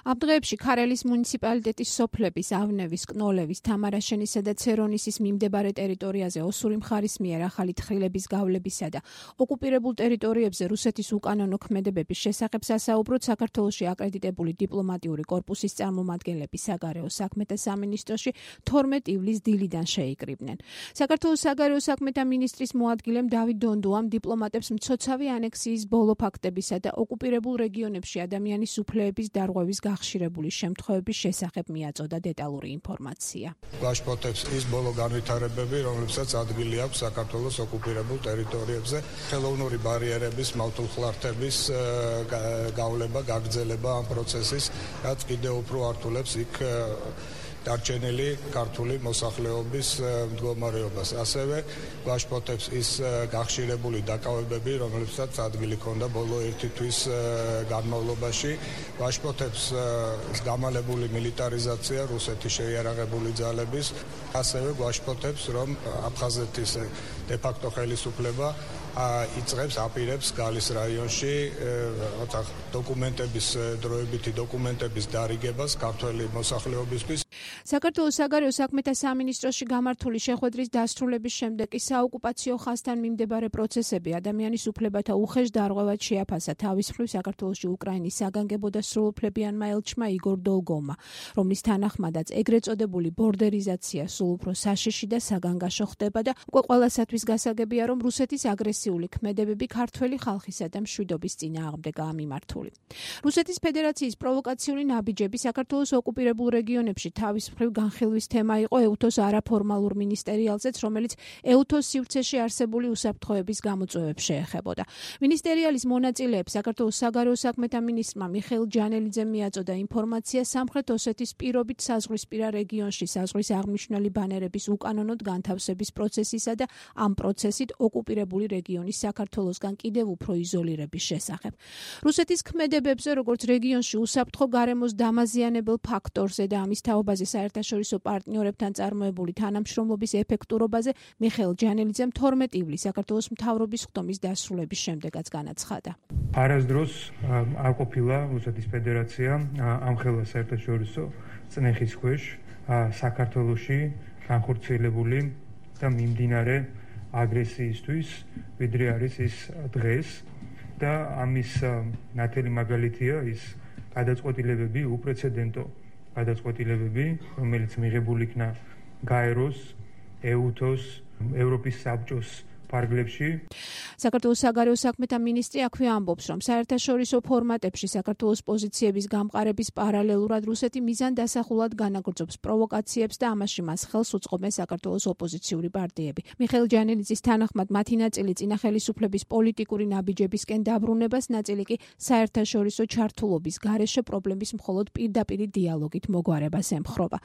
ამ დღეებში ქარელის მუნიციპალიტეტის სოფლების ავნევის, კნოლევის, თამარაშენისა და ცერონისის მიმდებარე ტერიტორიაზე ოსური მხარის მიერ ახალი თხრილების გავლებისა და ოკუპირებულ ტერიტორიებზე რუსეთის უკანონო ქმედებების შესახებ სასაუბროდ საქართველოში აკრედიტებული დიპლომატიური კორპუსის წარმომადგენლები საგარეო საქმეთა სამინისტროში 12 ივლისს დილიდან შეიკრიბნენ. საქართველოს საგარეო საქმეთა მინისტრის მოადგილემ დავით დონდუამ დიპლომატებს მცოცავი ანექსიის ბოლო ფაქტებისა და ოკუპირებულ რეგიონებში ადამიანის უფლებების დარღვევის გახშირებული შემთხვევების შესახებ მიაწოდა დეტალური ინფორმაცია. გვაშფოთებს ის ბოლო განვითარებები, რომლებსაც ადგილი აქვს საქართველოს ოკუპირებულ ტერიტორიებზე, ხელოვნური ბარიერების, მავთულხლართების გავლება, გაგრძელება ამ პროცესის, რაც კიდევ უფრო ართულებს იქ დარჩენილი ქართული მოსახლეობის მდგომარეობას. ასევე გვაშფოთებს ის გახშირებული დაკავებები, რომლებსაც ადგილი ჰქონდა ბოლო 1 თვის განმავლობაში. გვაშფოთებს გამალებული მილიტარიზაცია რუსეთის შეიარაღებული ძალების. ასევე გვაშფოთებს, რომ აფხაზეთის დე-ფაქტო ხელისუფლება იწყებს აპირებს გალის რაიონში დოკუმენტების დროებითი დოკუმენტების დარიგებას ქართველი მოსახლეობისთვის. საქართველოს საგარეო საქმეთა სამინისტროში გამართული შეხვედრის დასრულების შემდეგ კი საოკუპაციო ხაზთან მიმდებარე პროცესები ადამიანის უფლებათა უხეშ დარღვევად შეაფასა თავის მხრივ საქართველოში უკრაინის საგანგებო და სრულუფლებიანმა ელჩმა იგორ დოლგოვმა, რომლის თანახმადაც ეგრეთ წოდებული ბორდერიზაცია სულ უფრო საშიში და საგანგაშო ხდება და უკვე ყველასათვის გასაგებია, რომ რუსეთის აგრესიული ქმედებები ქართველი ხალხისა და მშვიდობის წინააღმდეგაა მიმართული. რუსეთის ფედერაციის პროვოკაციული ნაბიჯები საქართველოს ოკუპირებულ რეგიონებში თავის მხრივ განხილვის თემა იყო ეუთოს არაფორმალურ მინისტერიალზეც, რომელიც ეუთოს სივრცეში არსებული უსაფრთხოების გამოწვევებს შეეხებოდა. მინისტერიალის მონაწილეებს საქართველოს საგარეო საქმეთა მინისტრმა მიხეილ ჯანელიძემ მიაწოდა ინფორმაცია სამხრეთ ოსეთის პირობით საზღვრისპირა რეგიონში საზღვრის აღმნიშვნელი ბანერების უკანონოდ განთავსების პროცესისა და ამ პროცესით ოკუპირებული რეგიონის საქართველოსგან კიდევ უფრო იზოლირების შესახებ. რუსეთის ქმედებებზე, როგორც რეგიონში უსაფრთხო გარემოს დამაზიანებელ ფაქტორზე და ამის თაობაზე საერთაშორისო პარტნიორებთან წარმოებული თანამშრომლობის ეფექტურობაზე მიხეილ ჯანელიძემ 12 ივლისს საქართველოს მთავრობის ხდომის დასრულების შემდეგაც განაცხადა. არასდროს არ ყოფილა რუსეთის ფედერაცია ამხელა საერთაშორისო წნეხის ქვეშ საქართველოში განხორციელებული და მიმდინარე აგრესიისთვის, ვიდრე არის ის დღეს და ამის ნათელი მაგალითია ის გადაწყვეტილებები, უპრეცედენტო გადაწყვეტილებები, რომელიც მიღებული იქნა გაეროს, ეუთოს, ევროპის საბჭოს ფარგლებში. საქართველოს საგარეო საქმეთა მინისტრი აქვე ამბობს, რომ საერთაშორისო ფორმატებში საქართველოს პოზიციების გამყარების პარალელურად რუსეთი მიზანდასახულად განაგრძობს პროვოკაციებს და ამაში მას ხელს უწყობენ საქართველოს ოპოზიციური პარტიები. მიხეილ ჯანელიძის თანახმად მათი ნაწილი წინა ხელისუფლების პოლიტიკური ნაბიჯებისკენ დაბრუნებას, ნაწილი კი საერთაშორისო ჩართულობის გარეშე პრობლემის მხოლოდ პირდაპირი დიალოგით მოგვარებას ემხრობა.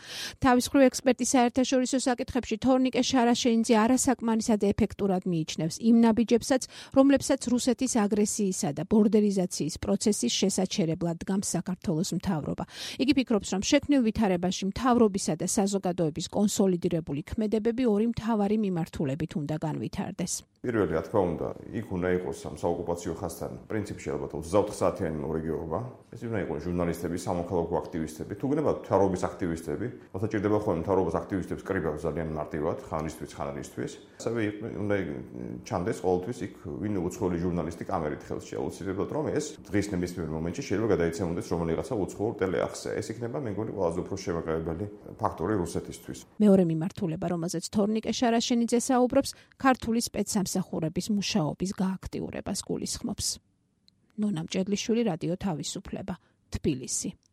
თავის მხრივ ექსპერტი საერთაშორისო საკითხებში თორნიკე შარაშენიძე არასაკმარისად ეფექტურად მიიჩნევს იმ ნაბიჯებსაც, რომლებსაც რუსეთის აგრესიისა და ბორდერიზაციის პროცესის შესაჩერებლად დგამს საქართველოს მთავრობა. იგი ფიქრობს, რომ შექმნილ ვითარებაში მთავრობისა და საზოგადოების კონსოლიდირებული ქმედებები ორი მთავარი მიმართულებით უნდა განვითარდეს. პირველი, რა თქმა უნდა, იქ უნდა იყოს ამ საოკუპაციო ხაზთან პრინციპში ალბათ 24 საათიანი მორიგეობა. ეს უნდა იყოს ჟურნალისტები, სამოქალაქო აქტივისტები, თუ გნებათ მთავრობის აქტივისტები, მოთა ჭირდება ხოლმე მთავრობის აქტივისტებს კრიბავს ძალიან მარტივად, ხანისთვის, ხანარისთვის. ასევე უნდა ჩანდეს ყოველთვის იქ ვინ უცხოელი ჟურნალისტი კამერით ხელში აუცილებლად, რომ ეს დღის ნებისმიერ მომენტში შეიძლება გადაიცემოდეს რომელიღაცა უცხოურ ტელეარხზე. ეს იქნება მე მგონი ყველაზე უფრო შემაყალიბებელი ფაქტორი რუსეთისთვის. მეორე მიმართულება, რომელზეც თორნიკე შარაშენიძე საუბრობს, ქართული სპეცსამსახურების მუშაობის გააქტიურებას გულისხმობს. ნონა მჭედლიშვილი, რადიო თავისუფლება, თბილისი.